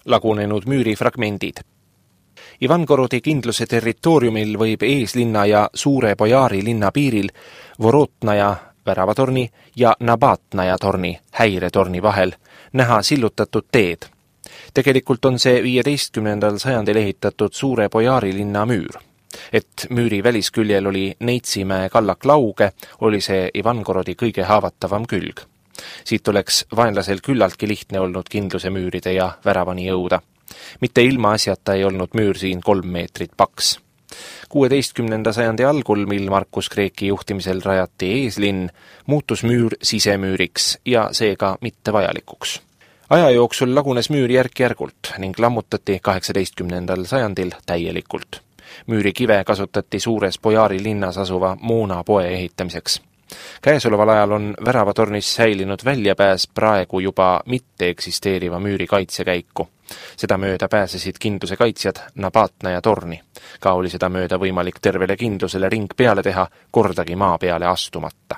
lagunenud müürifragmendid. Ivangorodi kindluse territooriumil võib eeslinna ja Suure Bojaari linna piiril Vorotnaja väravatorni ja Nabatnaja torni häiretorni vahel näha sillutatud teed. Tegelikult on see 15. sajandil ehitatud Suure Bojaari linna müür. Et müüri välisküljel oli Neitsimäe kallak lauge, oli see Ivangorodi kõige haavatavam külg. Siit oleks vaenlasel küllaltki lihtne olnud kindluse müüride ja väravani jõuda. Mitte ilma asjata ei olnud müür siin 3 meetrit paks. 16. sajandi algul, mil Markus Kreeki juhtimisel rajati eeslinn, muutus müür sisemüüriks ja seega mitte vajalikuks. Aja jooksul lagunes müür järk-järgult ning lammutati 18. sajandil täielikult. Müüri kive kasutati Suures Bojaari linnas asuva Moona poe ehitamiseks. Käesoleval ajal on väravatornis säilinud väljapääs praegu juba mitte eksisteeriva müüri kaitsekäiku. Seda mööda pääsesid kindluse kaitsjad Nabatnaja torni. Ka oli seda mööda võimalik tervele kindlusele ring peale teha, kordagi maa peale astumata.